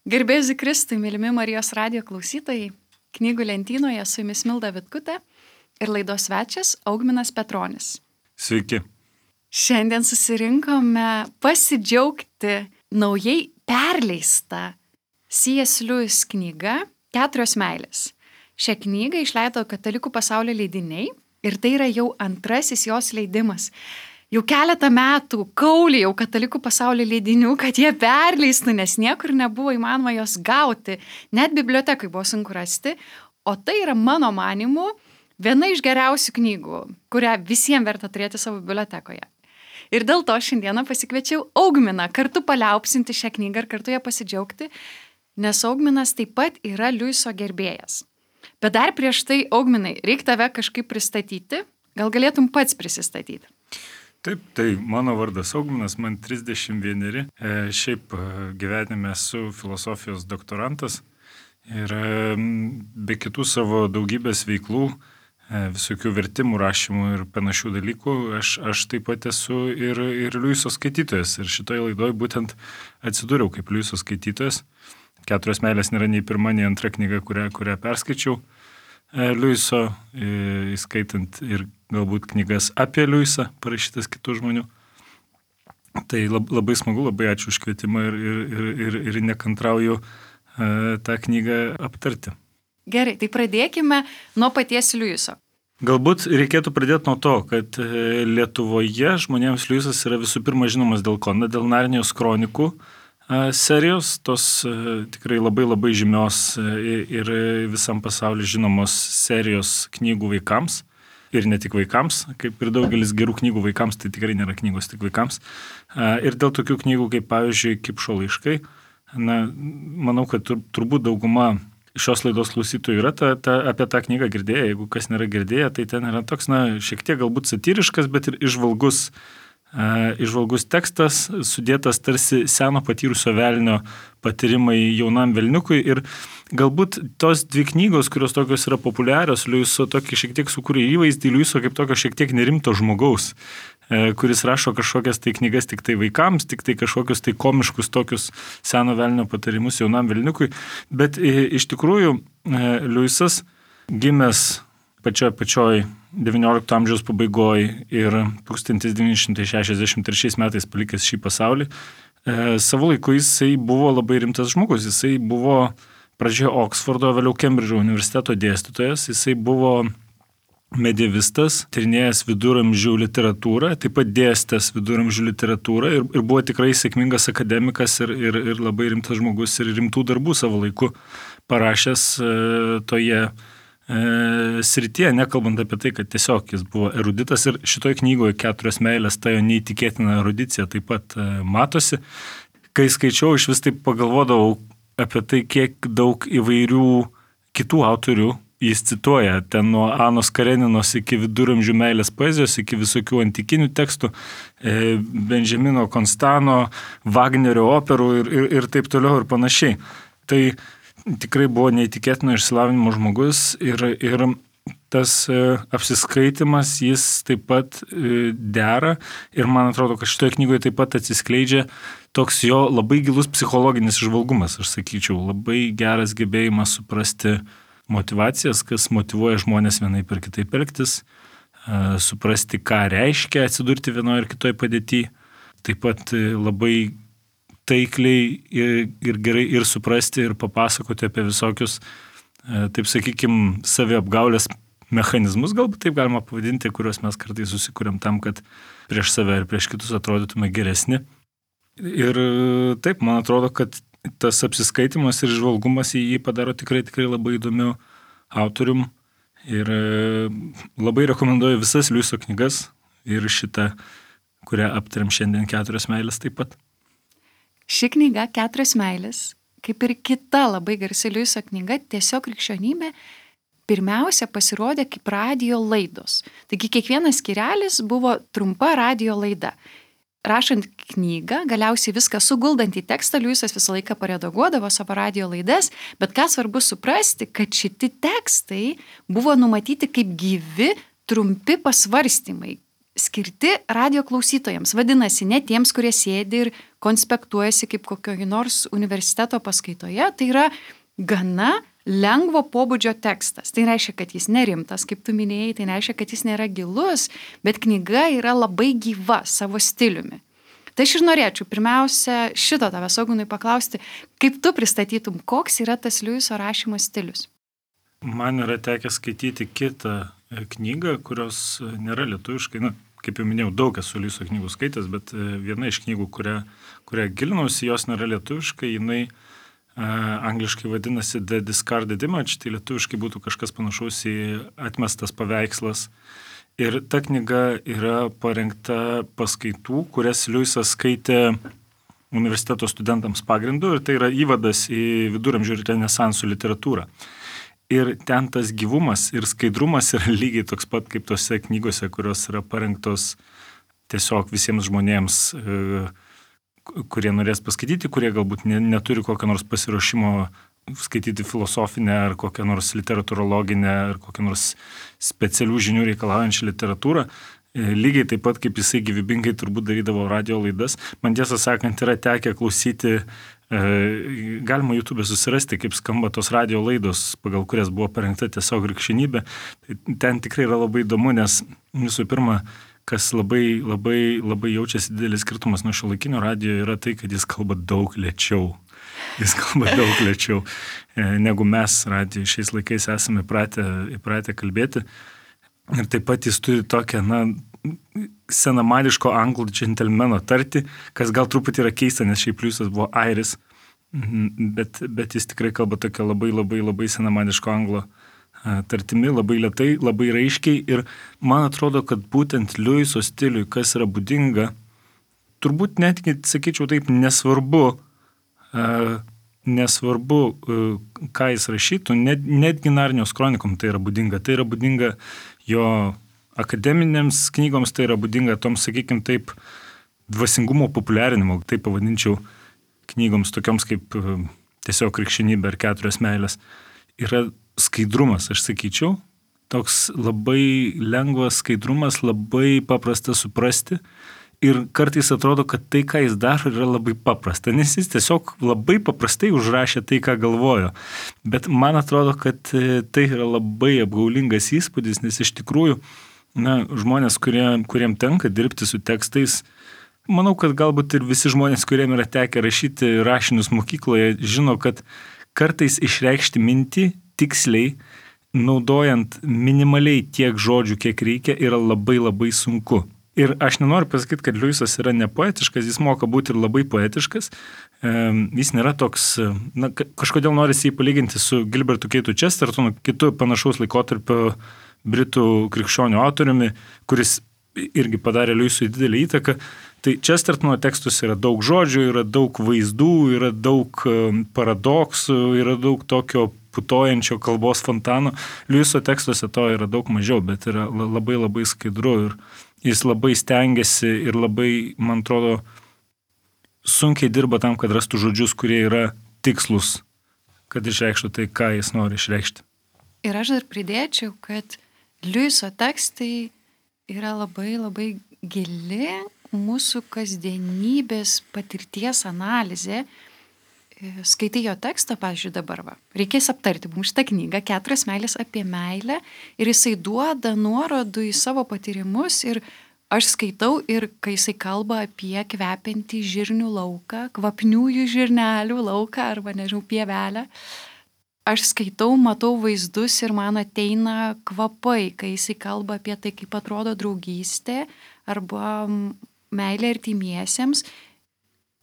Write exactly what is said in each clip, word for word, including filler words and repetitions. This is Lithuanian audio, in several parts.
Garbėsiu Kristui, mylimi Marijos radijo klausytojai, knygų lentynoje su jumis Milda Vitkutė ir laidos svečias Augminas Petronis. Sveiki. Šiandien susirinkome pasidžiaugti naujai perleista C S Lewis knyga Keturios meilės. Šią knygą išleido Katalikų pasaulio leidiniai ir tai yra jau antrasis jos leidimas. Jau keletą metų kauliai jau Katalikų pasaulio leidinių, kad jie perleistų, nes niekur nebuvo įmanoma jos gauti. Net bibliotekai buvo sunku rasti. O tai yra mano manimu viena iš geriausių knygų, kurią visiems verta turėti savo bibliotekoje. Ir dėl to šiandieną pasikviečiau Augminą kartu paliaupsinti šią knygą ir kartu ją pasidžiaugti, nes Augminas taip pat yra Lewiso gerbėjas. Bet dar prieš tai, Augminai, reikia tave kažkaip pristatyti. Gal galėtum pats prisistatyti? Taip, tai mano vardas Augminas, man trisdešimt vieneri. E, šiaip gyvenime esu filosofijos doktorantas ir e, be kitų savo daugybės veiklų, e, visokių vertimų, rašymų ir panašių dalykų, aš, aš taip pat esu ir, ir Lewiso skaitytojas. Ir šitoje laidoje būtent atsidūriau kaip Lewiso skaitytojas. Keturios meilės nėra nei pirma, nei antra knyga, kurią, kurią perskaičiau e, Lewiso, e, įskaitant ir galbūt knygas apie Lewisą, parašytas kitų žmonių. Tai labai smagu, labai ačiū už kvietimą ir, ir, ir, ir nekantrauju e, tą knygą aptarti. Gerai, tai pradėkime nuo paties Lewiso. Galbūt reikėtų pradėti nuo to, kad Lietuvoje žmonėms Lewisas yra visų pirma žinomas dėl ko? Dėl Narnijos kronikų e, serijos, tos e, tikrai labai labai žymios e, ir visam pasauliu žinomos serijos knygų vaikams. Ir ne tik vaikams, kaip ir daugelis gerų knygų vaikams, tai tikrai nėra knygos tik vaikams. Ir dėl tokių knygų, kaip pavyzdžiui, Kipšo laiškai, na, manau, kad tur, turbūt dauguma šios laidos klausytojų yra ta, ta, apie tą knygą girdėję. Jeigu kas nėra girdėję, tai ten yra toks, na, šiek tiek galbūt satyriškas, bet ir išvalgus, uh, išvalgus tekstas, sudėtas tarsi seno patyrusio velnio patyrimai jaunam velniukui. Ir galbūt tos dvi knygos, kurios tokios yra populiarios, Lewiso tokį šiek tiek sukūrė įvaizdį Lewiso kaip tokio šiek tiek nerimto žmogaus, kuris rašo kažkokias tai knygas tik tai vaikams, tik tai kažkokius tai komiškus tokius seno velnio patarimus jaunam velniukui. Bet iš tikrųjų Lewisas gimęs pačioj pačioj devyniolikto amžiaus pabaigoje ir tūkstantis devyni šimtai šešiasdešimt trečiais metais palikęs šį pasaulį, savo laiku jisai buvo labai rimtas žmogus. Jisai buvo pradžioje Oksfordo, vėliau Kembridžo universiteto dėstytojas, jisai buvo medievistas, tyrinėjęs viduramžių literatūrą, taip pat dėstęs viduramžių literatūrą ir, ir buvo tikrai sėkmingas akademikas ir, ir, ir labai rimtas žmogus ir rimtų darbų savo laiku parašęs e, toje e, srityje, nekalbant apie tai, kad tiesiog jis buvo eruditas ir šitoje knygoje Keturios meilės ta jo neįtikėtina erudicija taip pat e, matosi. Kai skaičiau, iš vis taip pagalvodavau apie tai, kiek daug įvairių kitų autorių jis cituoja, ten nuo Anos Kareninos iki viduramžių meilės poezijos, iki visokių antikinių tekstų, e, Benjamino Konstano, Vagnerio operų ir, ir, ir taip toliau ir panašiai. Tai tikrai buvo neįtikėtino išsilavinimo žmogus ir, ir tas e, apsiskaitimas jis taip pat e, dera ir man atrodo, kad šitoje knygoje taip pat atsiskleidžia toks jo labai gilus psichologinis įžvalgumas, aš sakyčiau, labai geras gebėjimas suprasti motivacijas, kas motyvuoja žmonės vienaip ir kitaip elgtis, e, suprasti, ką reiškia atsidurti vienoje ir kitoje padėtyje, taip pat e, labai taikliai ir, ir gerai ir suprasti ir papasakoti apie visokius, e, taip sakykim, saviapgaulės mechanizmus, galbūt taip galima pavadinti, kuriuos mes kartais susikuriam tam, kad prieš save ir prieš kitus atrodytume geresni. Ir taip, man atrodo, kad tas apsiskaitimas ir žvalgumas į jį padaro tikrai, tikrai labai įdomių autorium. Ir labai rekomenduoju visas Lewiso knygas ir šitą, kurią aptariam šiandien Keturios meilės taip pat. Ši knyga Keturios meilės, kaip ir kita labai garsi Lewiso knyga, tiesiog krikščionybė, pirmiausia pasirodė kaip radijo laidos. Taigi kiekvienas skyrelis buvo trumpa radijo laida. Rašant knygą, galiausiai viską suguldant į tekstą, Lewisas visą laiką paredaguodavo savo radijo laidas, bet ką svarbu suprasti, kad šiti tekstai buvo numatyti kaip gyvi, trumpi pasvarstymai, skirti radio klausytojams. Vadinasi, ne tiems, kurie sėdi ir konspektuojasi kaip kokio nors universiteto paskaitoje. Tai yra gana lengvo pobūdžio tekstas. Tai reiškia, kad jis nerimtas, kaip tu minėjai, tai reiškia, kad jis nėra gilus, bet knyga yra labai gyva savo stiliumi. Tai aš ir norėčiau pirmiausia šito tavęs, Ogunai, paklausti, kaip tu pristatytum, koks yra tas Liujiso rašymo stilius? Man yra tekę skaityti kitą knygą, kurios nėra lietuviškai. Na, kaip jau minėjau, daug esu Liujiso knygų skaitęs, bet viena iš knygų, kurią, kurią gilinausi, jos nėra lietuviškai, jinai uh, angliškai vadinasi The Discarded Image, tai lietuviškai būtų kažkas panašaus į atmestas paveikslas. Ir ta knyga yra parengta paskaitų, kurias Liujisas skaitė universiteto studentams pagrindu, ir tai yra įvadas į viduramžių ir renesansų literatūrą. Ir ten tas gyvumas ir skaidrumas yra lygiai toks pat kaip tose knygose, kurios yra parengtos tiesiog visiems žmonėms, kurie norės paskaityti, kurie galbūt neturi kokio nors pasiruošimo skaityti filosofinę ar kokią nors literatūrologinę ar kokią nors specialių žinių reikalaujančią literatūrą. Lygiai taip pat, kaip jisai gyvybingai turbūt darydavo radio laidas. Man tiesą sakant, yra tekę klausyti, galima YouTube susirasti, kaip skamba tos radio laidos, pagal kurias buvo parengta tiesiog krikščionybė. Ten tikrai yra labai įdomu, nes visų pirma, kas labai, labai, labai jaučiasi didelis skirtumas nuo šiuolaikinio radio, yra tai, kad jis kalba daug lėčiau. Jis kalba daug lėčiau, negu mes radijo šiais laikais esame įpratę, įpratę kalbėti. Ir taip pat jis turi tokią, na, senamadiško anglų džentelmeno tartį, kas gal truputį yra keista, nes šiaip Liujisas buvo airis, bet, bet jis tikrai kalba tokia labai, labai, labai senamadiško anglo tartimi, labai lėtai, labai raiškiai. Ir man atrodo, kad būtent Liujiso stiliui, kas yra būdinga, turbūt netgi, sakyčiau taip, nesvarbu, Uh, nesvarbu, uh, ką jis rašytų, net, netgi Narnijos kronikom tai yra būdinga. Tai yra būdinga jo akademinėms knygoms, tai yra būdinga toms, sakykime taip, dvasingumo populiarinimo, taip pavadinčiau, knygoms tokioms kaip uh, tiesiog krikščionybė ar keturios meilės. Yra skaidrumas, aš sakyčiau, toks labai lengvas skaidrumas, labai paprasta suprasti. Ir kartais atrodo, kad tai, ką jis daro, yra labai paprasta, nes jis tiesiog labai paprastai užrašė tai, ką galvojo. Bet man atrodo, kad tai yra labai apgaulingas įspūdis, nes iš tikrųjų, na, žmonės, kurie, kuriem tenka dirbti su tekstais, manau, kad galbūt ir visi žmonės, kuriem yra tekę rašyti rašinius mokykloje, žino, kad kartais išreikšti mintį tiksliai, naudojant minimaliai tiek žodžių, kiek reikia, yra labai labai sunku. Ir aš nenoriu pasakyti, kad Liujisas yra nepoetiškas, jis moka būti ir labai poetiškas. Jis nėra toks, na, kažkodėl norisi jį palyginti su Gilbertu Keitu Chestertonu, kitu panašaus laikotarpio britų krikščionių autoriumi, kuris irgi padarė Liujisui didelį įtaką. Tai Chestertono tekstus yra daug žodžių, yra daug vaizdų, yra daug paradoksų, yra daug tokio putojančio kalbos fontano. Liujiso tekstuose to yra daug mažiau, bet yra labai labai skaidru ir jis labai stengiasi ir labai, man atrodo, sunkiai dirba tam, kad rastų žodžius, kurie yra tikslus, kad išreikštų tai, ką jis nori išreikšti. Ir aš dar pridėčiau, kad Liujiso tekstai yra labai labai gili mūsų kasdienybės patirties analizė. Skaitai jo tekstą, pavyzdžiui, dabar va. Reikės aptarti mums šitą knygą, keturios meilės apie meilę, ir jisai duoda nuorodų į savo patyrimus, ir aš skaitau, ir kai jisai kalba apie kvepiantį žirnių lauką, kvapniųjų žirnelių lauką, arba, nežinau, pievelę, aš skaitau, matau vaizdus ir man ateina kvapai, kai jisai kalba apie tai, kaip atrodo draugystė, arba meilė artimiesiems.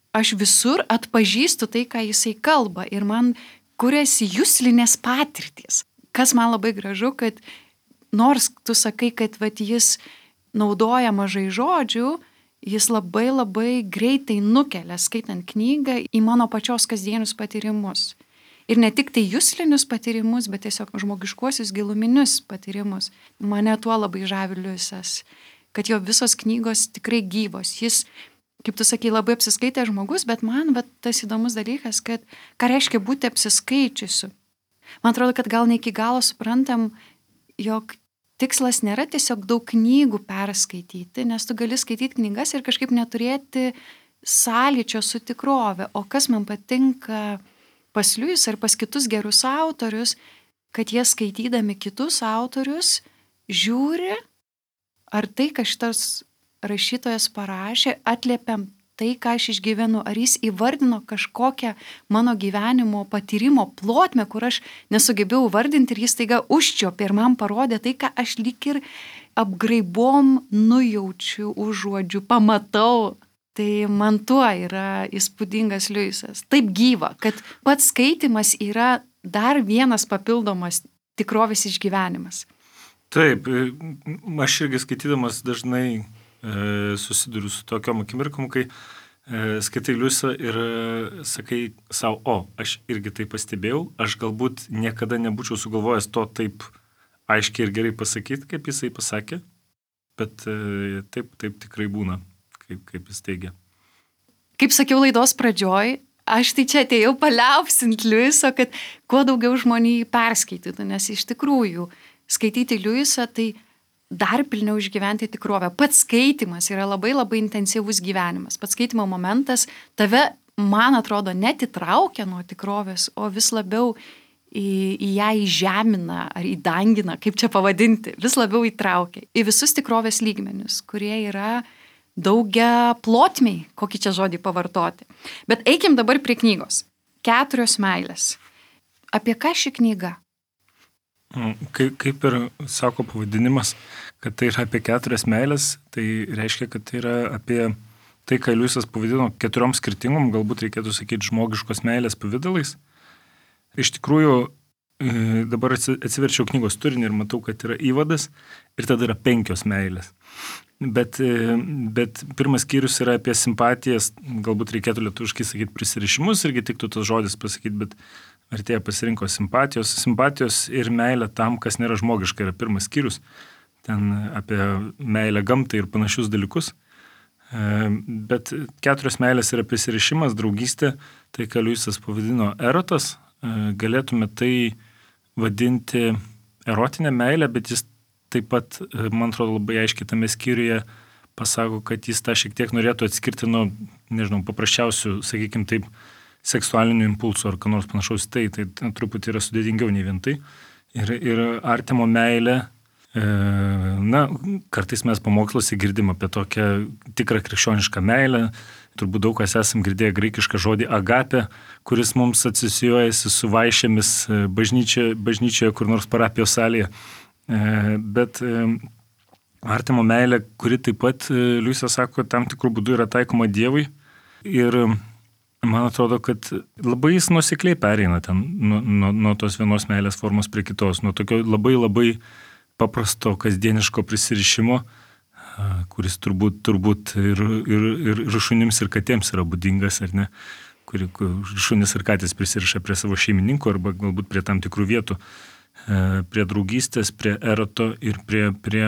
Aš visur atpažįstu tai, ką jisai kalba, ir man kuriasi juslinės patirtys. Kas man labai gražu, kad nors tu sakai, kad vat, jis naudoja mažai žodžių, jis labai labai greitai nukelia, skaitant knygą, į mano pačios kasdienius patyrimus. Ir ne tik tai juslinius patyrimus, bet tiesiog žmogiškuosius giluminius patyrimus. Mane tuo labai žavi Liujisas, kad jo visos knygos tikrai gyvos. Jis, kaip tu sakai, labai apsiskaitė žmogus, bet man bet tas įdomus dalykas, kad ką reiškia būti apsiskaičiusiu. Man atrodo, kad gal ne iki galo suprantam, jog tikslas nėra tiesiog daug knygų perskaityti, nes tu gali skaityti knygas ir kažkaip neturėti sąlyčio su tikrove. O kas man patinka pas Liujisą ir pas kitus gerus autorius, kad jie skaitydami kitus autorius žiūri, ar tai, ką šitas rašytojas parašė, atliepiam tai, ką aš išgyvenu, ar jis įvardino kažkokią mano gyvenimo patyrimo plotmę, kur aš nesugebėjau vardinti ir jis taiga užčiopė ir man parodė tai, ką aš lyg ir apgraibom nujaučiu, užuodžiu, pamatau. Tai man tuo yra įspūdingas Liujisas. Taip gyva, kad pats skaitimas yra dar vienas papildomas tikrovės išgyvenimas. Taip, aš irgi skaitydamas dažnai e, susiduriu su tokiom akimirkom, kai e, skaitai Liujisą ir e, sakai savo, o, aš irgi tai pastebėjau, aš galbūt niekada nebūčiau sugalvojęs to taip aiškiai ir gerai pasakyti, kaip jisai pasakė, bet e, taip, taip tikrai būna. Kaip, kaip jis teigia. Kaip sakiau laidos pradžioj, aš tai čia atėjau paliaupsint Liujiso, kad kuo daugiau žmonių jį perskaitytų, nes iš tikrųjų skaityti Liujisą tai dar pilniau išgyventi tikrovę. Pats skaitimas yra labai labai intensyvus gyvenimas. Pats skaitimo momentas tave, man atrodo, net įtraukia nuo tikrovės, o vis labiau į, į ją įžemina ar įdangina, kaip čia pavadinti, vis labiau įtraukia į visus tikrovės lygmenius, kurie yra daugia plotmiai, kokį čia žodį pavartoti. Bet eikim dabar prie knygos. Keturios meilės. Apie ką ši knyga? Kaip, kaip ir sako pavadinimas, kad tai yra apie keturias meilės, tai reiškia, kad tai yra apie tai, ką Liujisas pavadino keturiom skirtingom, galbūt reikėtų sakyti žmogiškos meilės pavidalais. Iš tikrųjų, dabar atsiverčiau knygos turinį ir matau, kad yra įvadas ir tada yra penkios meilės. Bet, bet pirmas skyrius yra apie simpatijas, galbūt reikėtų lietuviškai sakyti prisirišimus, irgi tiktų tas žodis pasakyti, bet vertėja pasirinko simpatijos. Simpatijos ir meilė tam, kas nėra žmogiška, yra pirmas skyrius. Ten apie meilę gamtai ir panašius dalykus. Bet keturios meilės yra prisirišimas, draugystė, tai ką Liujisas pavadino erotas. Galėtume tai vadinti erotinę meilę, bet jis taip pat, man atrodo, labai aiškiai tame skyriuje pasako, kad jis tą šiek tiek norėtų atskirti nuo, nežinau, paprasčiausių, sakykime taip, seksualinių impulsų ar ką nors panašaus. Tai, tai truputį yra sudėtingiau nei vien tai. Ir, ir artimo meilė, e, na, kartais mes pamoksluose girdim apie tokią tikrą krikščionišką meilę. Turbūt daug kas esam girdėję graikišką žodį agapė, kuris mums asocijuojasi su vaišėmis bažnyčioje, bažnyčioje kur nors parapijos salėje. Bet artimo meilė, kuri taip pat, Liujisas sako, tam tikrų būdų yra taikoma Dievui. Ir man atrodo, kad labai jis nuosekliai pereina ten nuo, nuo, nuo tos vienos meilės formos prie kitos, nuo tokio labai labai paprasto kasdieniško prisirišimo, kuris turbūt, turbūt ir, ir, ir, ir šunims ir katėms yra būdingas, ar ne, kuri šunis ir katės prisiriša prie savo šeimininkų arba galbūt prie tam tikrų vietų. Prie draugystės, prie eroto ir prie, prie,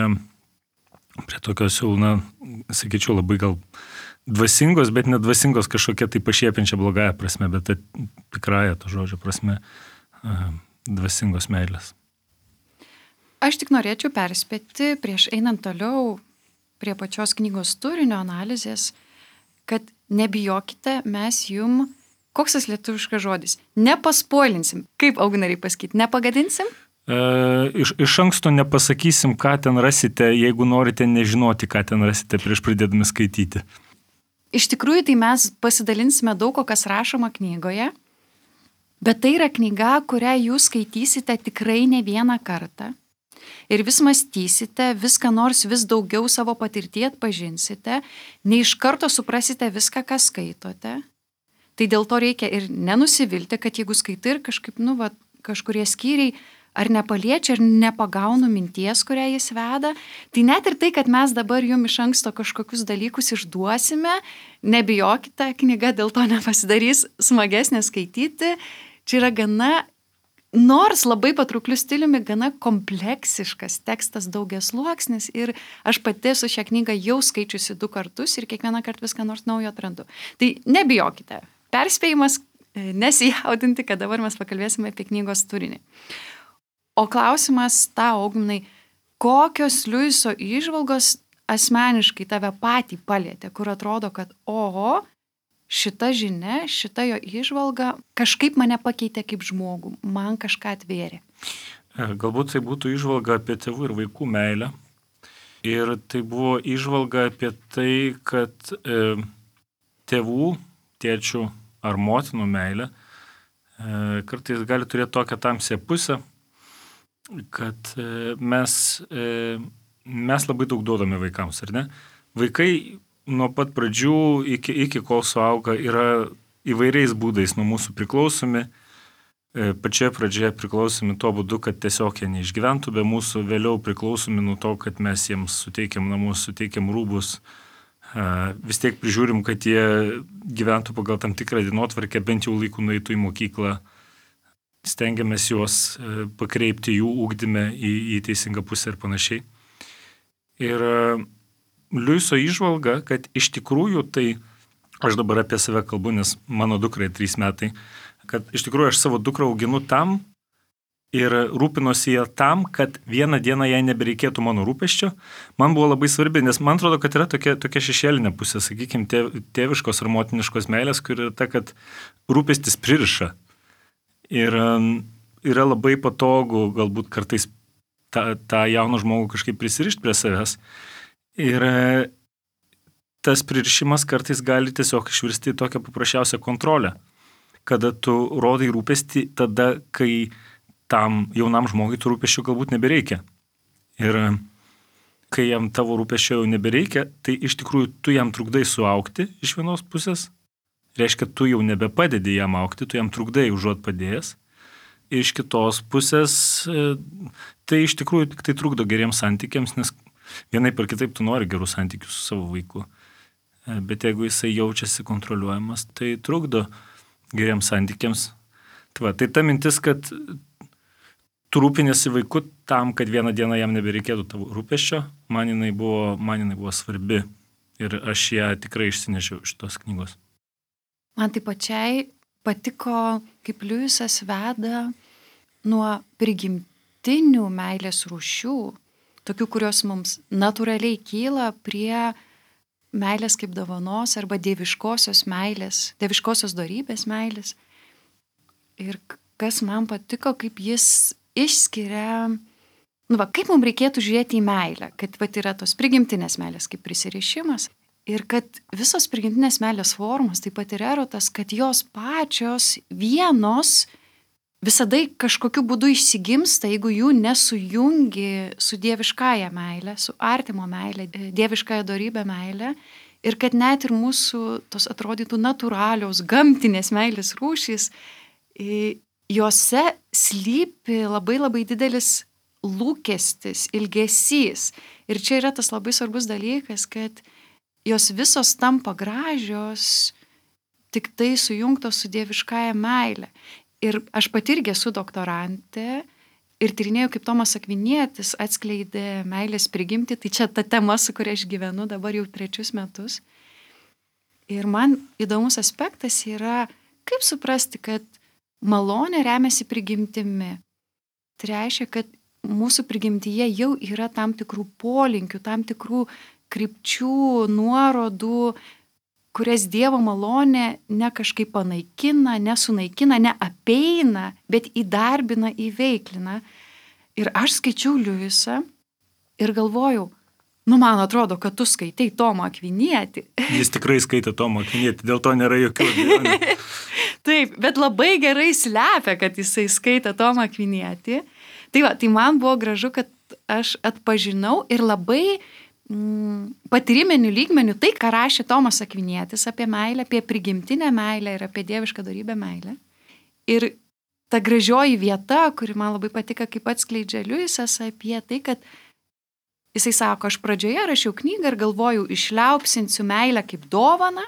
prie tokios jau, na, sakyčiau, labai gal dvasingos, bet nedvasingos kažkokia tai pašiepiančia blogąją prasme, bet tai tikrąją to žodžio prasme dvasingos meilės. Aš tik norėčiau perspėti, prieš einant toliau prie pačios knygos turinio analizės, kad nebijokite, mes jum, koks tas lietuviškas žodis, nepaspoilinsim. Kaip augnariai pasakyti, nepagadinsim? E, iš, iš anksto nepasakysim, ką ten rasite, jeigu norite nežinoti, ką ten rasite prieš pradėdami skaityti. Iš tikrųjų, tai mes pasidalinsime daug, kas rašoma knygoje, bet tai yra knyga, kurią jūs skaitysite tikrai ne vieną kartą. Ir vis mąstysite, viską nors vis daugiau savo patirtį atpažinsite, ne iš karto suprasite viską, ką skaitote. Tai dėl to reikia ir nenusivilti, kad jeigu skaitai ir kažkaip, nu, va, kažkurie skyriai ar nepaliečia, ar nepagaunu minties, kurią jis veda, tai net ir tai, kad mes dabar jums iš anksto kažkokius dalykus išduosime, nebijokite, knyga dėl to nepasidarys smagesnė skaityti. Čia yra gana, nors labai patraukliu stiliumi, gana kompleksiškas tekstas, daugiasluoksnis, ir aš pati su šią knygą jau skaičiusi du kartus ir kiekvieną kartą viską nors naujo atrandu. Tai nebijokite. Perspėjimas, nesijaudinti, kad dabar mes pakalbėsime apie knygos turinį. O klausimas tau, Augnai, kokios Liuiso įžvalgos asmeniškai tave patį palietė, kur atrodo, kad oho, šita žinia, šita jo įžvalga kažkaip mane pakeitė kaip žmogų, man kažką atvėrė. Galbūt tai būtų įžvalga apie tėvų ir vaikų meilę. Ir tai buvo įžvalga apie tai, kad e, tėvų, tėčių ar motinų meilė e, kartais gali turėti tokią tamsią pusę, kad e, mes, e, mes labai daug duodame vaikams, ar ne? Vaikai nuo pat pradžių iki, iki kol suauga yra įvairiais būdais nuo mūsų priklausomi. Pačioje pradžioje priklausomi tuo būdu, kad tiesiog jie neišgyventų be mūsų, vėliau priklausomi nuo to, kad mes jiems suteikiam namus, suteikiam rūbus, vis tiek prižiūrim, kad jie gyventų pagal tam tikrą dienotvarkę, bent jau laiku nueitų į mokyklą, stengiamės juos pakreipti jų ugdyme į, į teisingą pusę ir panašiai. Ir Liuiso įžvalga, kad iš tikrųjų tai, aš dabar apie save kalbu, nes mano dukrai trys metai, kad iš tikrųjų aš savo dukrą auginu tam ir rūpinosi ją tam, kad vieną dieną jai nebereikėtų mano rūpesčio. Man buvo labai svarbi, nes man atrodo, kad yra tokia, tokia šešėlinė pusė, sakykime, tėviškos ar motiniškos meilės, kur yra ta, kad rūpestis pririša. Ir yra labai patogu galbūt kartais tą, tą jauną žmogų kažkaip prisirišti prie savęs. Ir tas pririšimas kartais gali tiesiog išvirsti į tokią paprasčiausią kontrolę, kada tu rodai rūpestį tada, kai tam jaunam žmogui tų rūpesčių galbūt nebereikia. Ir kai jam tavo rūpesčio jau nebereikia, tai iš tikrųjų tu jam trukdai suaugti iš vienos pusės, reiškia, tu jau nebepadedi jam augti, tu jam trukdai užuot padėjęs. Iš kitos pusės tai iš tikrųjų tik tai trukdo geriems santykiams, nes vienaip ar kitaip tu nori gerų santykių su savo vaiku. Bet jeigu jisai jaučiasi kontroliuojamas, tai trukdo geriems santykiams. Tai, va, tai ta mintis, kad tu rūpinėsi vaiku tam, kad vieną dieną jam nebereikėtų tavo rūpesčio, man jinai buvo, man jinai buvo svarbi. Ir aš ją tikrai išsinešiau iš tos knygos. Man tai pačiai patiko, kaip Liuisas veda nuo prigimtinių meilės rūšių, tokių, kurios mums natūraliai kyla, prie meilės kaip dovanos arba dieviškosios meilės, dieviškosios dorybės meilės. Ir kas man patiko, kaip jis išskiria, nu va, kaip mums reikėtų žiūrėti į meilę, kad va, yra tos prigimtinės meilės kaip prisirišimas ir kad visos prigimtinės meilės formos, taip pat ir erotas, kad jos pačios vienos visada kažkokiu būdu išsigimsta, jeigu jų nesujungi su dieviškąja meilė, su artimo meilė, dieviškąja dorybė meilė. Ir kad net ir mūsų tos atrodytų natūralios, gamtinės meilės rūšys, jose slypi labai labai didelis lūkestis, ilgesys. Ir čia yra tas labai svarbus dalykas, kad jos visos tampa gražios, tik tai sujungtos su dieviškąja meilė. Ir aš pati irgi esu doktorantė ir tyrinėjau, kaip Tomas Akvinietis atskleidė meilės prigimtį. Tai čia ta tema, su kuria aš gyvenu dabar jau trečius metus. Ir man įdomus aspektas yra, kaip suprasti, kad malonė remiasi prigimtimi. Tai reiškia, kad mūsų prigimtyje jau yra tam tikrų polinkių, tam tikrų krypčių, nuorodų, kurias Dievo malonė ne kažkaip panaikina, nesunaikina, neapeina, bet įdarbina, įveiklina. Ir aš skaičiau Liuisą ir galvojau, nu man atrodo, kad tu skaitai Tomą Akvinietį. Jis tikrai skaitė Tomą Akvinietį, dėl to nėra jokių abejonių. Taip, bet labai gerai slepia, kad jisai skaitė Tomą Akvinietį. Tai va, tai man buvo gražu, kad aš atpažinau ir labai patyriminių lygmenių tai, ką rašė Tomas Akvinietis apie meilę, apie prigimtinę meilę ir apie dievišką dorybę meilę. Ir ta gražioji vieta, kuri man labai patika, kaip atskleidžia Liuisas apie tai, kad jisai sako, aš pradžioje rašiau knygą ir galvojau, išliaupsinsiu meilę kaip dovaną,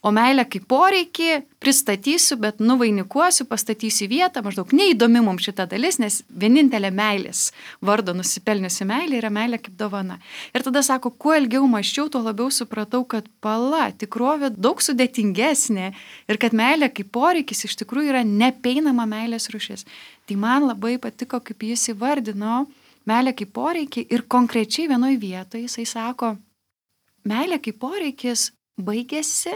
o meilę kaip poreikį pristatysiu, bet nuvainikuosiu, pastatysiu vietą, maždaug neįdomi mums šita dalis, nes vienintelė meilės vardo nusipelniusi meilė yra meilė kaip dovana. Ir tada sako, kuo ilgiau mąsčiau, tuo labiau supratau, kad pala, tikrovė daug sudėtingesnė ir kad meilė kaip poreikis iš tikrųjų yra nepeinama meilės rūšis. Tai man labai patiko, kaip jis įvardino meilė kaip poreikį ir konkrečiai vienoje vietoje jisai sako, meilė kaip poreikis baigėsi,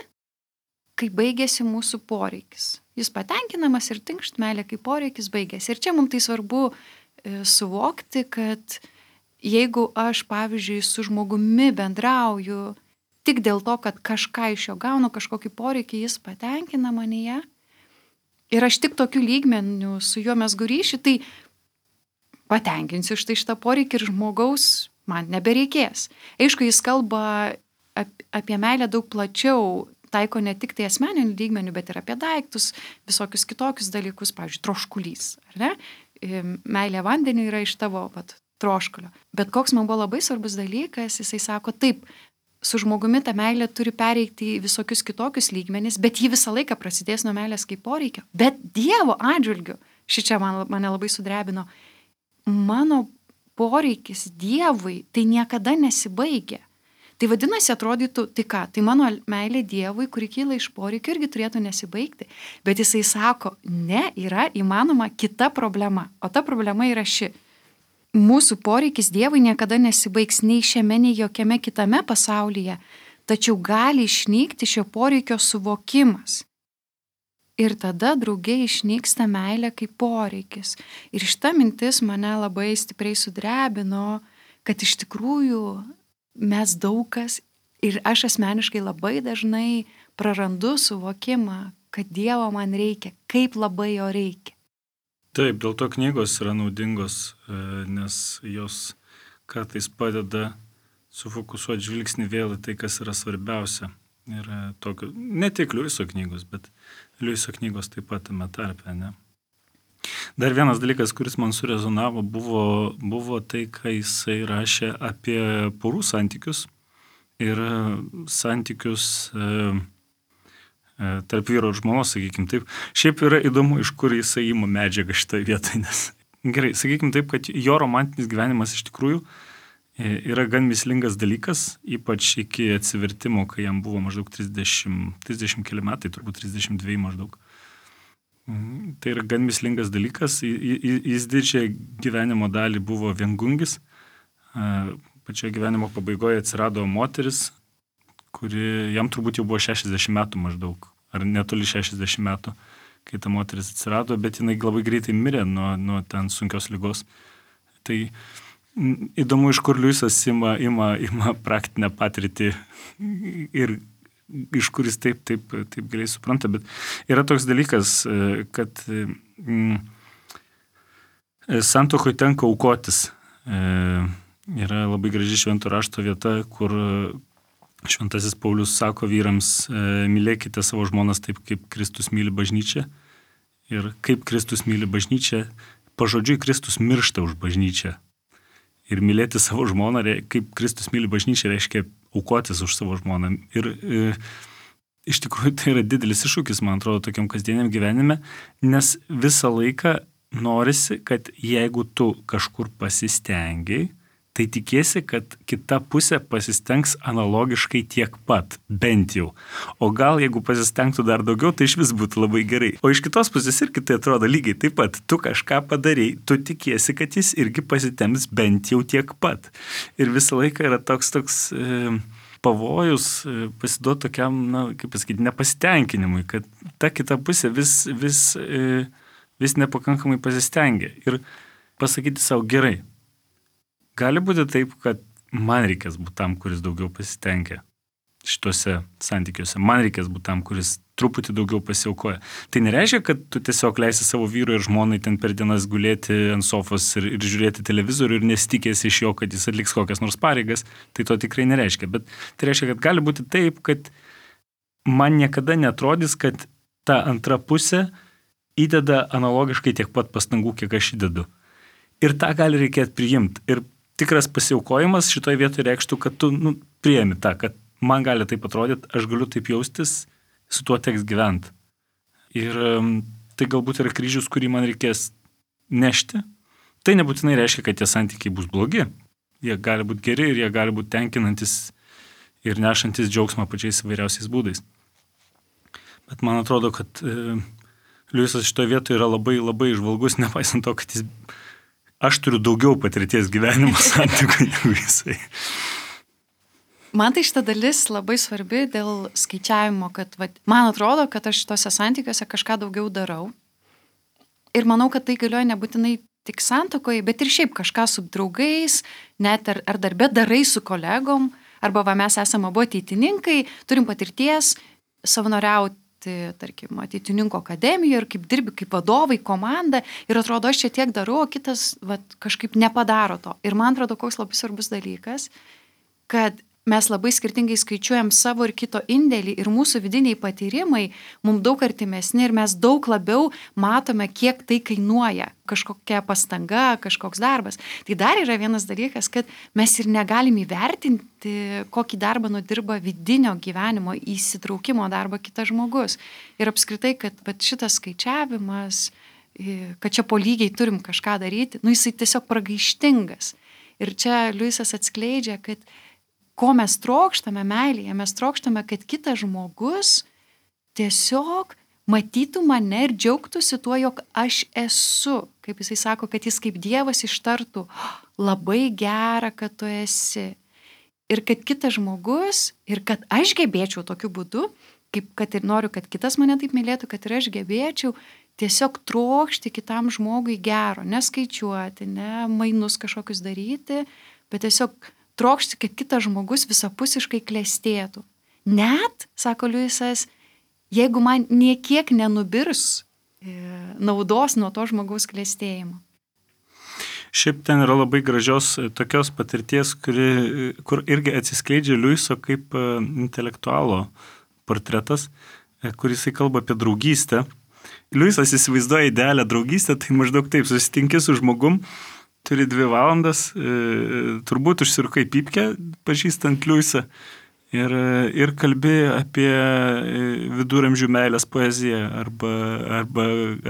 kai baigėsi mūsų poreikis. Jis patenkinamas ir tinkšt, meilė kaip poreikis baigėsi. Ir čia mums tai svarbu e, suvokti, kad jeigu aš, pavyzdžiui, su žmogumi bendrauju tik dėl to, kad kažką iš jo gaunu, kažkokį poreikį, jis patenkina manyje, ir aš tik tokiu lygmeniu su juo mes ryšį, tai patenkinsiu štai šitą poreikį ir žmogaus man nebereikės. Aišku, jis kalba apie meilę daug plačiau, taiko ne tik tai asmeninių lygmenių, bet ir apie daiktus, visokius kitokius dalykus, pavyzdžiui, troškulys, ar ne? Meilė vandeniu yra iš tavo vat, troškulio. Bet koks man buvo labai svarbus dalykas, jisai sako, taip, su žmogumi ta meilė turi pereiti į visokius kitokius lygmenis, bet ji visą laiką prasidės nuo meilės kaip poreikio. Bet Dievo atžvilgiu, šičia man, mane labai sudrebino, mano poreikis Dievui tai niekada nesibaigia. Tai vadinasi, atrodytų, tai ką, tai mano meilė Dievui, kuri kyla iš poreikio, irgi turėtų nesibaigti. Bet jisai sako, ne, yra įmanoma kita problema, o ta problema yra ši. Mūsų poreikis Dievui niekada nesibaigs nei šiame, nei jokiame kitame pasaulyje, tačiau gali išnykti šio poreikio suvokimas. Ir tada draugiai išnyksta meilė kaip poreikis. Ir šita mintis mane labai stipriai sudrebino, kad iš tikrųjų mes daug kas, ir aš asmeniškai labai dažnai prarandu suvokimą, kad Dievo man reikia, kaip labai jo reikia. Taip, dėl to knygos yra naudingos, nes jos kartais padeda sufokusuoti žvilgsnį vėl į tai, kas yra svarbiausia. Ir tokio, ne tik Liuiso knygos, bet Liuiso knygos taip pat tame tarpe, ne? Dar vienas dalykas, kuris man surezonavo, buvo, buvo tai, ką jisai rašė apie porų santykius ir santykius e, tarp vyro ir žmonos, sakykim taip. Šiaip yra įdomu, iš kur jisai ima medžiagą šitoje vietoje, nes gerai, sakykim taip, kad jo romantinis gyvenimas iš tikrųjų yra gan mįslingas dalykas, ypač iki atsivertimo, kai jam buvo maždaug trisdešimt, trisdešimt keli metai, turbūt trisdešimt dveji maždaug. Tai yra gan mįslingas dalykas, jis didžiąją gyvenimo dalį buvo viengungis, pačioje gyvenimo pabaigoje atsirado moteris, kuri jam turbūt jau buvo šešiasdešimt metų maždaug, ar netoli šešiasdešimt metų, kai ta moteris atsirado, bet jinai labai greitai mirė nuo, nuo ten sunkios ligos. Tai įdomu, iš kur Liuisas ima, ima, ima praktinę patirtį ir iš kuris taip, taip, taip giliai supranta, bet yra toks dalykas, kad mm, santuokoj tenka aukotis. Yra labai graži švento rašto vieta, kur Šventasis Paulius sako vyrams, mylėkite savo žmonas taip, kaip Kristus myli bažnyčią. Ir kaip Kristus myli bažnyčią, pažodžiui Kristus miršta už bažnyčią. Ir mylėti savo žmoną, kaip Kristus myli bažnyčią, reiškia aukotis už savo žmoną. Ir e, iš tikrųjų tai yra didelis iššūkis, man atrodo, tokiam kasdieniam gyvenime, nes visą laiką norisi, kad jeigu tu kažkur pasistengiai, tai tikėsi, kad kita pusė pasistengs analogiškai tiek pat, bent jau. O gal jeigu pasistengtų dar daugiau, tai iš vis būtų labai gerai. O iš kitos pusės irgi tai atrodo lygiai taip pat. Tu kažką padarei, tu tikėsi, kad jis irgi pasitems bent jau tiek pat. Ir visą laiką yra toks toks e, pavojus e, pasiduoti tokiam, na, kaip pasakyti, nepasitenkinimui, kad ta kita pusė vis, vis, e, vis nepakankamai pasistengia. Ir pasakyti savo gerai. Gali būti taip, kad man reikės būti tam, kuris daugiau pasitengia šituose santykiuose. Man reikės būti tam, kuris truputį daugiau pasiaukoja. Tai nereiškia, kad tu tiesiog leisi savo vyrui ir žmonai ten per dienas gulėti ant sofos ir, ir žiūrėti televizorių ir nesitikėsi iš jo, kad jis atliks kokias nors pareigas. Tai to tikrai nereiškia. Bet tai reiškia, kad gali būti taip, kad man niekada netrodys, kad ta antra pusė įdeda analogiškai tiek pat pastangų, kiek aš įdedu. Ir tą gali reikėti priimti. Ir tikras pasiaukojimas šitoje vietoje reikštų, kad tu nu, priemi tą, kad man gali taip atrodyti, aš galiu taip jaustis, su tuo teks gyventi. Ir tai galbūt yra kryžius, kurį man reikės nešti. Tai nebūtinai reiškia, kad tie santykiai bus blogi. Jie gali būti geri ir jie gali būti tenkinantis ir nešantis džiaugsmą pačiais įvairiausiais būdais. Bet man atrodo, kad e, Liuisas šitoje vietoje yra labai, labai žvalgus, nepaisant to, kad jis aš turiu daugiau patirties gyvenimo santykių negu jisai. Man tai šita dalis labai svarbi dėl skaičiavimo, kad va, man atrodo, kad aš tose santykiuose kažką daugiau darau. Ir manau, kad tai galioja nebūtinai tik santuokoje, bet ir šiaip kažką su draugais, net ar, ar darbė darai su kolegom, arba va, mes esame abu ateitininkai, turim patirties savanoriauti, tarkim, ateitininkų akademijoje ir kaip dirbi kaip vadovai, komanda, ir atrodo, aš čia tiek darau, o kitas va, kažkaip nepadaro to. Ir man atrodo, koks labai svarbus dalykas, kad mes labai skirtingai skaičiuojam savo ir kito indėlį ir mūsų vidiniai patyrimai mums daug artimesni ir mes daug labiau matome, kiek tai kainuoja, kažkokia pastanga, kažkoks darbas. Tai dar yra vienas dalykas, kad mes ir negalim įvertinti, kokį darbą nudirba vidinio gyvenimo įsitraukimo darbą kitas žmogus. Ir apskritai, kad šitas skaičiavimas, kad čia po lygiai turim kažką daryti, nu jisai tiesiog pragaištingas. Ir čia Liujisas atskleidžia, kad ko mes trokštame meilėje, mes trokštame, kad kitas žmogus tiesiog matytų mane ir džiaugtųsi tuo, jog aš esu. Kaip jisai sako, kad jis kaip Dievas ištartų, labai gera, kad tu esi. Ir kad kitas žmogus, ir kad aš gebėčiau tokiu būdu, kaip kad ir noriu, kad kitas mane taip mylėtų, kad ir aš gebėčiau tiesiog trokšti kitam žmogui gero, neskaičiuoti, ne mainus kažkokius daryti, bet tiesiog trokšti, kad kitas žmogus visapusiškai klestėtų. Net, sako Liujisas, jeigu man niekiek nenubirs e, naudos nuo to žmogaus klestėjimo. Šiaip ten yra labai gražios tokios patirties, kuri, kur irgi atsiskleidžia Liujiso kaip intelektualo portretas, kur jisai kalba apie draugystę. Liujisas įsivaizduoja idealią draugystę, tai maždaug taip, susitinki su žmogum, turi dvi valandas, e, turbūt užsirukai pypkę, pažįstant Liujisą, ir, ir kalbi apie viduramžių meilės poeziją, arba, arba,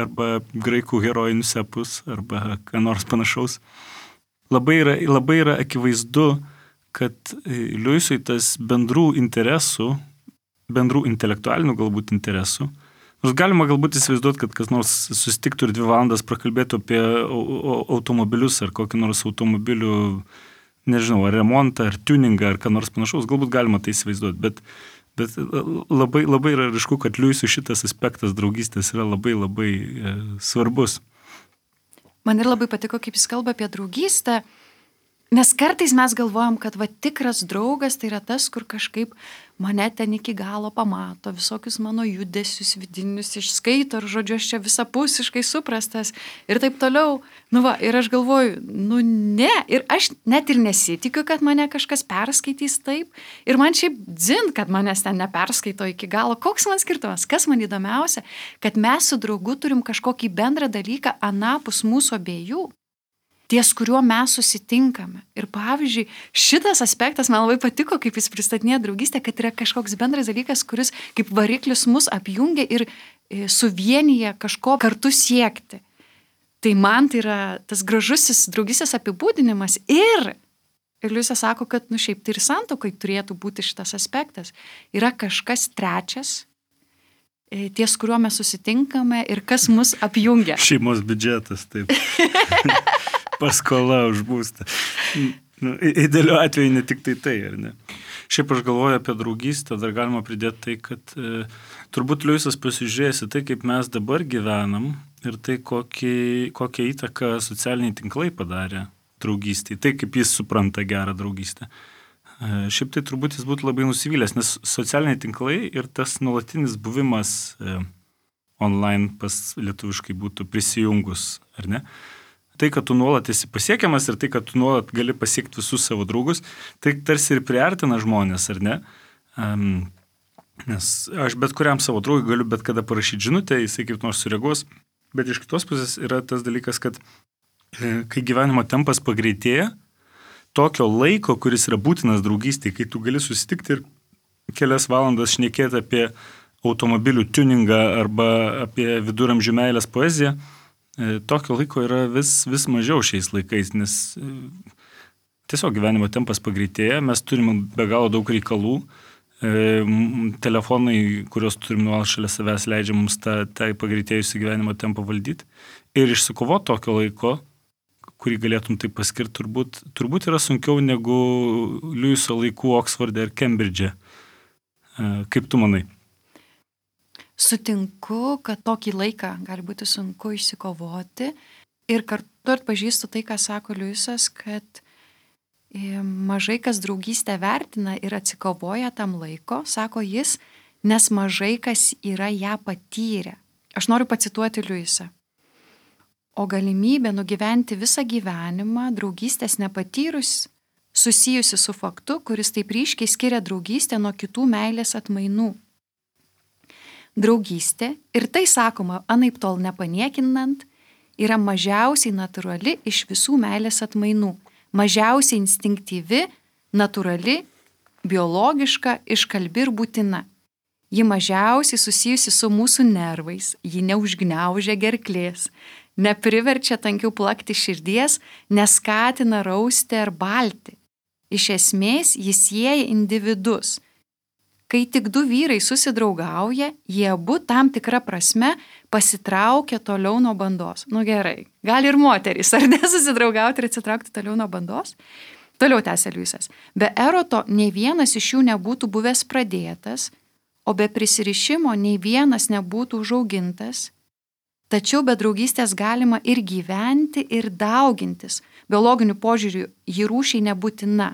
arba graikų herojinius epus, arba ką nors panašaus. Labai yra, labai yra akivaizdu, kad Liujisui tas bendrų interesų, bendrų intelektualinių galbūt interesų, nors galima galbūt įsivaizduoti, kad kas nors susitiktų ir dvi valandas prakalbėtų apie automobilius ar kokį nors automobilių, nežinau, ar remontą, ar tuningą, ar ką nors panašaus, galbūt galima tai įsivaizduoti, bet, bet labai, labai yra ryšku, kad Liujisui šitas aspektas draugystės yra labai, labai e, svarbus. Man ir labai patiko, kaip jis kalba apie draugystę, nes kartais mes galvojam, kad va tikras draugas tai yra tas, kur kažkaip mane ten iki galo pamato, visokius mano judesius vidinius išskaito ir žodžiu, aš čia visapusiškai suprastas ir taip toliau. Nu va, ir aš galvoju, nu ne, ir aš net ir nesitikiu, kad mane kažkas perskaitys taip ir man šiaip dzin, kad manęs ten neperskaito iki galo. Koks man skirtumas? Kas man įdomiausia? Kad mes su draugu turim kažkokį bendrą dalyką anapus mūsų abiejų, ties kuriuo mes susitinkame. Ir pavyzdžiui, šitas aspektas man labai patiko, kaip jis pristatinėja draugystę, kad yra kažkoks bendras dalykas, kuris kaip variklis mus apjungia ir suvienyje kažko kartu siekti. Tai man tai yra tas gražusis draugystės apibūdinimas ir, ir Liujisas sako, kad nu šiaip tai ir santuokai turėtų būti šitas aspektas. Yra kažkas trečias, ties kuriuo mes susitinkame ir kas mus apjungia. Šeimos biudžetas, taip. Paskola už būstą. Nu, idealiu atveju ne tik tai tai, ar ne? Šiaip aš galvoju apie draugystę, dar galima pridėti tai, kad e, turbūt Liujisas pasižiūrėjęs į tai, kaip mes dabar gyvenam ir tai, kokį, kokią įtaką socialiniai tinklai padarė draugystėj, tai kaip jis supranta gerą draugystę. E, šiaip tai turbūt jis būtų labai nusivylęs, nes socialiniai tinklai ir tas nuolatinis buvimas e, online pas lietuviškai būtų prisijungus, ar ne? Tai, kad tu nuolat esi pasiekiamas ir tai, kad tu nuolat gali pasiekti visus savo draugus, tai tarsi ir priartina žmonės, ar ne? Um, nes aš bet kuriam savo draugui galiu bet kada parašyti žinutę, jisai kaip nors sureaguos, bet iš kitos pusės yra tas dalykas, kad e, kai gyvenimo tempas pagreitėja, tokio laiko, kuris yra būtinas draugystėje, kai tu gali susitikti ir kelias valandas šnekėti apie automobilių tuningą arba apie viduramžių meilės poeziją, tokio laiko yra vis, vis mažiau šiais laikais, nes tiesiog gyvenimo tempas pagreitėja, mes turime be galo daug reikalų, telefonai, kuriuos turim nuolat šalia savęs, leidžia mums tą, tą pagreitėjusią gyvenimo tempą valdyti ir išsikovoti tokio laiko, kurį galėtum tai paskirti, turbūt, turbūt yra sunkiau negu Liujiso laikų Oksforde ir Kembridže. Kaip tu manai? Sutinku, kad tokį laiką gali būti sunku išsikovoti ir kartu atpažįstu tai, ką sako Liujisas, kad mažai kas draugystę vertina ir atsikovoja tam laiko, sako jis, nes mažai kas yra ją patyrę. Aš noriu pacituoti Liujisą. O galimybė nugyventi visą gyvenimą draugystės nepatyrus, susijusi su faktu, kuris taip ryškiai skiria draugystę nuo kitų meilės atmainų. Draugystė, ir tai sakoma anaiptol nepaniekinant, yra mažiausiai natūrali iš visų meilės atmainų, mažiausiai instinktyvi, natūrali, biologiška, iškalbi ir būtina. Ji mažiausiai susijusi su mūsų nervais, ji neužgniaužia gerklės, nepriverčia tankiau plakti širdies, neskatina rausti ar balti. Iš esmės, jis sieja individus. Kai tik du vyrai susidraugauja, jie abu tam tikrą prasme pasitraukia toliau nuo bandos. Nu gerai, gali ir moterys, ar ne, susidraugauti ir atsitraukti toliau nuo bandos? Toliau tęsia Liujisas. Be eroto nei vienas iš jų nebūtų buvęs pradėtas, o be prisirišimo nei vienas nebūtų užaugintas. Tačiau be draugystės galima ir gyventi, ir daugintis. Biologiniu požiūriu ji rūšiai nebūtina.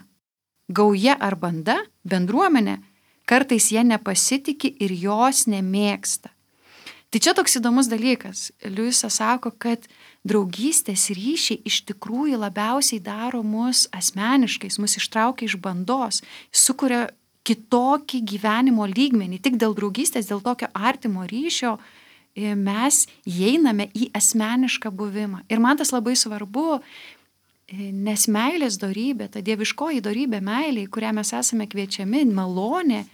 Gauja ar banda, bendruomenė, kartais jie nepasitikė ir jos nemėgsta. Tai čia toks įdomus dalykas. Liujisas sako, kad draugystės ryšiai iš tikrųjų labiausiai daro mus asmeniškais, mus ištraukia iš bandos, sukuria kitokį gyvenimo lygmenį. Tik dėl draugystės, dėl tokio artimo ryšio mes įeiname į asmenišką buvimą. Ir man tas labai svarbu, nes meilės dorybė, ta dieviškoji dorybė meilė, į kurią mes esame kviečiami, malonė,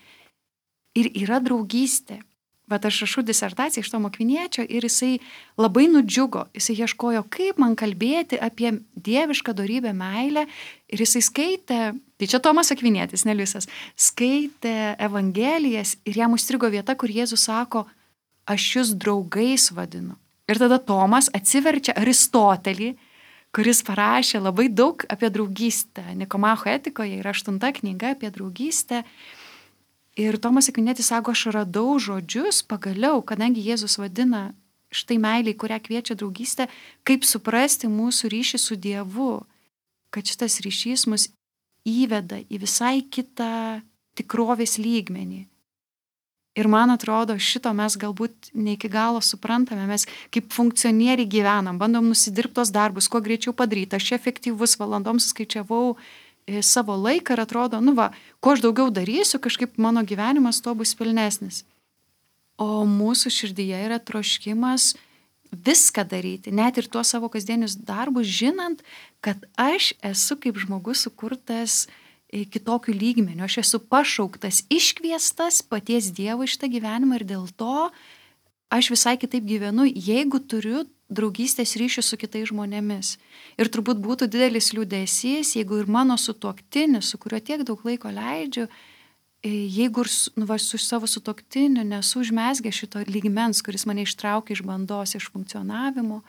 ir yra draugystė. Bet aš rašau disertaciją iš Tomo Akviniečio ir jisai labai nudžiugo, jisai ieškojo, kaip man kalbėti apie dievišką dorybę meilę, ir jisai skaitė, tai čia Tomas Akvinietis, ne Liujisas, skaitė Evangelijas ir jam užstrigo vieta, kur Jėzus sako, aš jūs draugais vadinu. Ir tada Tomas atsiverčia Aristotelį, kuris parašė labai daug apie draugystę. Nikomacho etikoje yra aštunta knyga apie draugystę. Ir Tomas Akvinietis sako, aš radau žodžius pagaliau, kadangi Jėzus vadina štai meiliai, kurią kviečia draugystę, kaip suprasti mūsų ryšį su Dievu, kad šitas ryšys mus įveda į visai kitą tikrovės lygmenį. Ir man atrodo, šito mes galbūt ne iki galo suprantame, mes kaip funkcionieriai gyvenam, bandom nusidirbti tos darbus, kuo greičiau padaryti, aš efektyvus, valandom suskaičiavau savo laiką ir atrodo, nu va, kuo aš daugiau darysiu, kažkaip mano gyvenimas tuo bus pilnesnis. O mūsų širdyje yra troškimas viską daryti, net ir tuos savo kasdienius darbus, žinant, kad aš esu kaip žmogus sukurtas kitokių lygmenių, aš esu pašauktas, iškviestas paties Dievo iš tą gyvenimą ir dėl to aš visai kitaip gyvenu, jeigu turiu draugystės ryšių su kitais žmonėmis. Ir turbūt būtų didelis liūdesys, jeigu ir mano sutuoktinis, su kuriuo tiek daug laiko leidžiu, jeigu ir nu, va, su savo sutuoktiniu nesu užmesgę šito lygmens, kuris mane ištraukia iš bandos, iš funkcionavimo,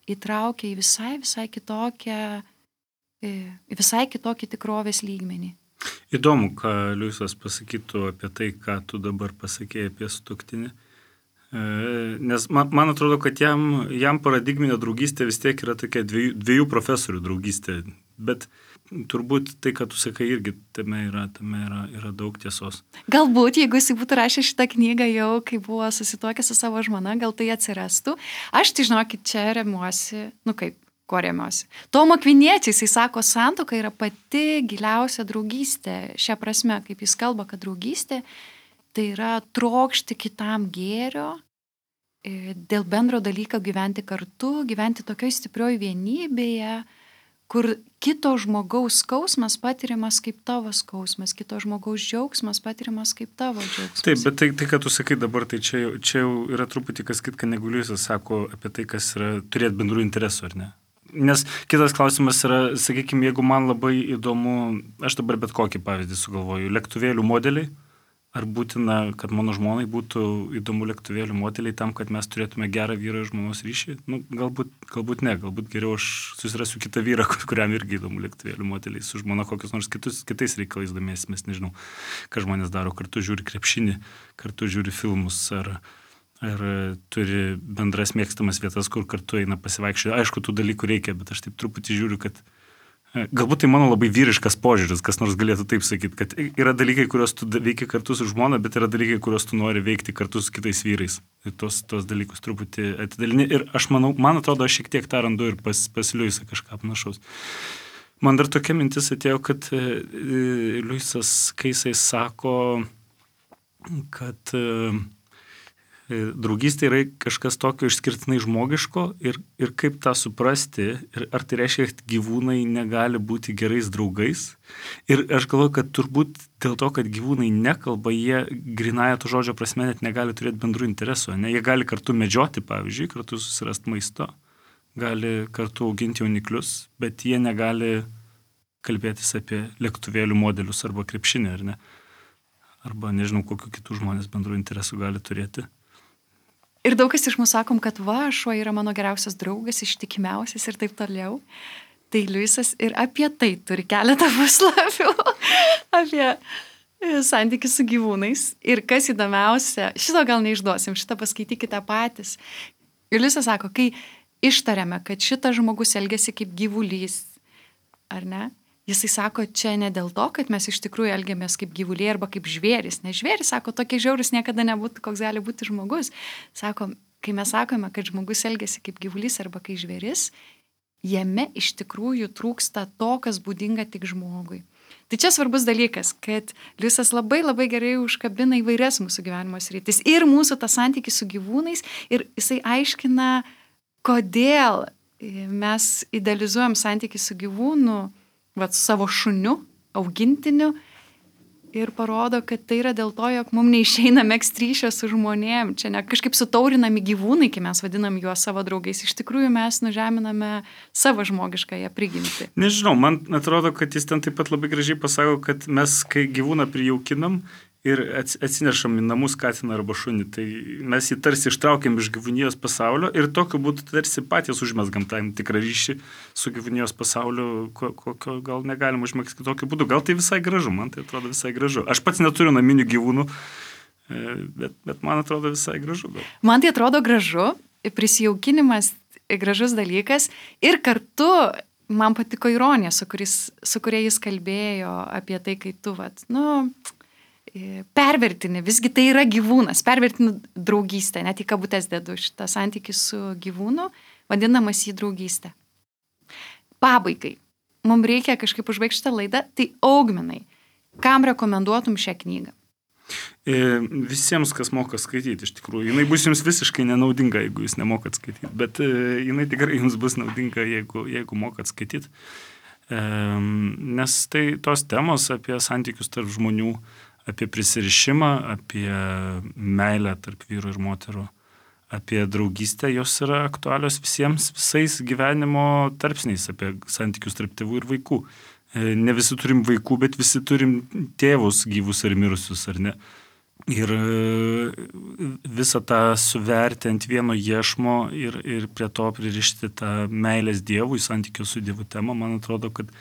įtraukia į visai, visai kitokią, visai kitokį tikrovės lygmenį. Įdomu, ką Liujisas pasakytų apie tai, ką tu dabar pasakėjai apie sutuoktinį. Nes man, man atrodo, kad jam, jam paradigminė draugystė vis tiek yra tokia dviejų, dviejų profesorių draugystė, bet turbūt tai, ką tu sakai, irgi tame yra, tame yra, yra daug tiesos. Galbūt, jeigu jis būtų rašęs šitą knygą jau, kai buvo susituokęs su savo žmona, gal tai atsirastų. Aš, tai žinokit, čia remiuosi, nu kaip, ko remiuosi. Tomo Akviniečio, jisai sako, santuoka yra pati giliausia draugystė. Šia prasme, kaip jis kalba, kad draugystė tai yra trokšti kitam gėrio, dėl bendro dalyko gyventi kartu, gyventi tokioj stiprioj vienybėje, kur kito žmogaus skausmas patiriamas kaip tavo skausmas, kito žmogaus džiaugsmas patiriamas kaip tavo džiaugsmas. Taip, bet tai, tai ką tu sakai dabar, tai čia, čia jau yra truputį kas kitka, negu Liujisas sako apie tai, kas yra turėti bendrų interesų, ar ne? Nes kitas klausimas yra, sakykime, jeigu man labai įdomu, aš dabar bet kokį pavyzdį sugalvoju, lėktuvėlių modeliai, ar būtina, kad mano žmonai būtų įdomu lėktuvėlių modeliai tam, kad mes turėtume gerą vyrą ir žmonos ryšį? Nu, galbūt, galbūt ne, galbūt geriau aš susirasiu kitą vyrą, kuriam irgi įdomu lėktuvėlių modeliai, su žmona kokius nors kitus, kitais reikalais domėsimės, nežinau, ką žmonės daro, kartu žiūri krepšinį, kartu žiūri filmus, ar, ar turi bendras mėgstamas vietas, kur kartu eina pasivaikščioti. Aišku, tų dalykų reikia, bet aš taip truputį žiūriu, kad galbūt tai mano labai vyriškas požiūris, kas nors galėtų taip sakyti, kad yra dalykai, kuriuos tu veiki kartu su žmona, bet yra dalykai, kuriuos tu nori veikti kartu su kitais vyrais. Ir tos, tos dalykus truputį atidalini. Ir aš manau, man atrodo, aš šiek tiek tą randu ir pas, pas Liujisą kažką panašaus. Man dar tokia mintis atėjo, kad e, Liujisas, kai jisai sako, kad e, draugystė yra kažkas tokio išskirtinai žmogiško ir, ir kaip tą suprasti, ir ar tai reiškia, kad gyvūnai negali būti gerais draugais. Ir aš galvoju, kad turbūt dėl to, kad gyvūnai nekalba, jie grynąją to žodžio prasme net negali turėti bendrų interesų. Ne? Jie gali kartu medžioti, pavyzdžiui, kartu susirasti maisto, gali kartu auginti jauniklius, bet jie negali kalbėtis apie lėktuvėlių modelius arba krepšinį, ar ne? Arba nežinau, kokiu kitų žmonės bendrų interesų gali turėti. Ir daug kas iš mūsų sakom, kad va, šuo yra mano geriausias draugas, ištikimiausias ir taip toliau. Tai Liujisas ir apie tai turi keletą puslapių, apie santykius su gyvūnais. Ir kas įdomiausia, šito gal neišduosim, šitą paskaitykite patys. Ir Liujisas sako, kai ištariame, kad šitas žmogus elgiasi kaip gyvulys, ar ne? Jisai sako, čia ne dėl to, kad mes iš tikrųjų elgiamės kaip gyvuliai arba kaip žvėris. Nes žvėris, sako, tokie žiaurus niekada nebūtų, koks gali būti žmogus. Sako, kai mes sakome, kad žmogus elgiasi kaip gyvulys arba kaip žvėris, jame iš tikrųjų trūksta to, kas būdinga tik žmogui. Tai čia svarbus dalykas, kad Liujisas labai labai gerai užkabina įvairias mūsų gyvenimo sritis ir mūsų tą santykį su gyvūnais ir jisai aiškina, kodėl mes idealizuojam santykį su gyvūnu, vat, su savo šuniu, augintiniu ir parodo, kad tai yra dėl to, jog mums neišeina megzti ryšio su žmonėm. Čia ne kažkaip sutaurinami gyvūnai, kai mes vadinam juos savo draugais. Iš tikrųjų mes nužeminame savo žmogiškąją prigimtį. Nežinau, man atrodo, kad jis ten taip pat labai gražiai pasako, kad mes, kai gyvūną prijaukinam ir atsinešam į namus katiną arba šunį, tai mes jį tarsi ištraukiam iš gyvūnijos pasaulio ir tokiu būdu tarsi patys užmesgam tam tikrą ryšį su gyvūnijos pasauliu, kokio gal negalim užmegzti kitokiu būdu. Gal tai visai gražu, man tai atrodo visai gražu. Aš pats neturiu naminių gyvūnų, bet, bet man atrodo visai gražu. Gal. Man tai atrodo gražu, prisijaukinimas gražus dalykas ir kartu man patiko ironija, su, kuris, su kuria jis kalbėjo apie tai, kai tu, vat, nu... pervertini, visgi tai yra gyvūnas, pervertini draugystę, net į kabutės dedu šitą santykį su gyvūnu, vadinamas jį draugystę. Pabaigai, mums reikia kažkaip užbaigti šitą laidą, tai Augminai, kam rekomenduotum šią knygą? Visiems, kas moka skaityti, iš tikrųjų. Jinai bus jums visiškai nenaudinga, jeigu jūs nemokat skaityti, bet jinai tikrai jums bus naudinga, jeigu, jeigu mokat skaityti. Nes tai tos temos apie santykius tarp žmonių, apie prisirišimą, apie meilę tarp vyrų ir moterų, apie draugystę, jos yra aktualios visiems, visais gyvenimo tarpsniais, apie santykius tarp tėvų ir vaikų. Ne visi turim vaikų, bet visi turim tėvus gyvus ar mirusius, ar ne? Ir visą tą suverti ant vieno iešmo ir, ir prie to pririšti tą meilės Dievui, santykio su Dievu temą, man atrodo, kad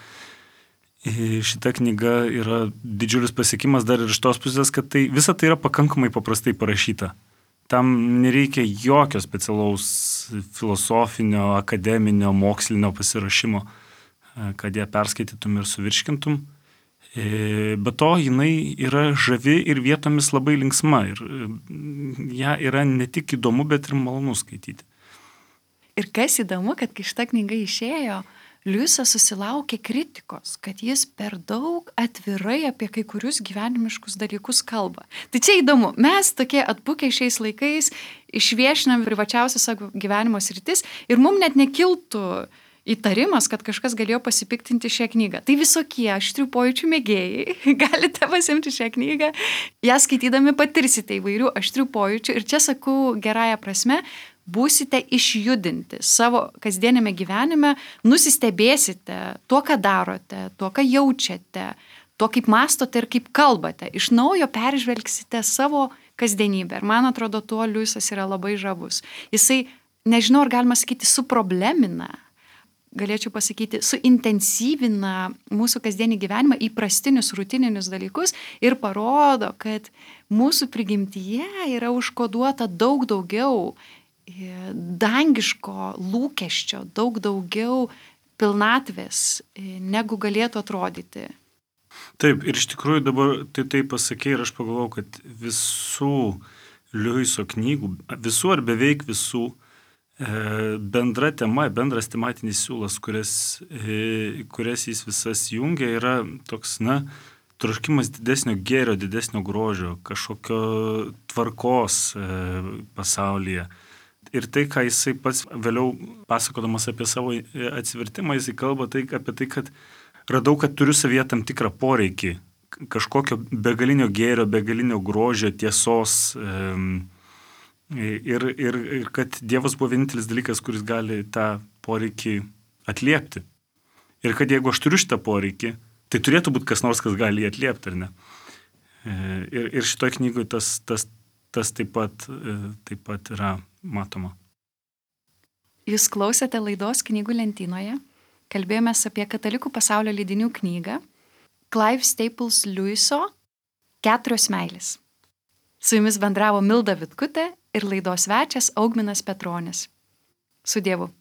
šita knyga yra didžiulis pasiekimas dar ir iš tos pusės, kad tai, visa tai yra pakankamai paprastai parašyta. Tam nereikia jokio specialaus filosofinio, akademinio, mokslinio pasirašymo, kad ją perskaitytum ir suvirškintum. Be to, jinai yra žavi ir vietomis labai linksma. Ir ją yra ne tik įdomu, bet ir malonu skaityti. Ir kas įdomu, kad kai šita knyga išėjo, Liujisas susilaukė kritikos, kad jis per daug atvirai apie kai kurius gyvenimiškus dalykus kalba. Tai čia įdomu, mes tokie atbukę šiais laikais išviešinam privačiausias savo gyvenimo sritis ir mums net nekiltų įtarimas, kad kažkas galėjo pasipiktinti šią knygą. Tai visokie aštrių pojūčių mėgėjai, galite pasimti šią knygą, ją skaitydami patirsite įvairių aštrių pojūčių ir čia sakau gerąją prasme, būsite išjudinti savo kasdienėme gyvenime, nusistebėsite tuo, ką darote, tuo, ką jaučiate, to, kaip mastote ir kaip kalbate. Iš naujo peržvelgsite savo kasdienybę. Ir man atrodo, tuo Liujisas yra labai žavus. Jisai, nežinau, ar galima sakyti, suproblemina, galėčiau pasakyti, suintensyvina mūsų kasdienį gyvenimą, įprastinius, rutininius dalykus ir parodo, kad mūsų prigimtyje yra užkoduota daug daugiau dangiško lūkesčio, daug daugiau pilnatvės, negu galėtų atrodyti. Taip, ir iš tikrųjų dabar tai taip pasakė ir aš pagalvojau, kad visų Liujiso knygų, visų ar beveik visų, bendra tema, bendras tematinis siūlas, kurias, kurias jis visas jungia, yra toks, na, troškimas didesnio gėrio, didesnio grožio, kažkokio tvarkos pasaulyje. Ir tai, ką jisai pats vėliau pasakodamas apie savo atsivertimą, jisai kalba tai, apie tai, kad radau, kad turiu savyje tam tikrą poreikį, kažkokio begalinio gėrio, begalinio grožio, tiesos, Ir, ir, ir kad Dievas buvo vienintelis dalykas, kuris gali tą poreikį atliepti. Ir kad jeigu aš turiu šitą poreikį, tai turėtų būti kas nors, kas gali jį atliepti, ar ne? Ir, ir šitoje knygoje tas, tas, tas taip pat, taip pat yra matoma. Jūs klausėte laidos Knygų lentynoje. Kalbėjomės apie katalikų pasaulio leidinių knygą Clive Staples Lewiso Keturios meilės. Su jumis bendravo Milda Vitkutė ir laidos svečias Augminas Petronis. Su Dievu.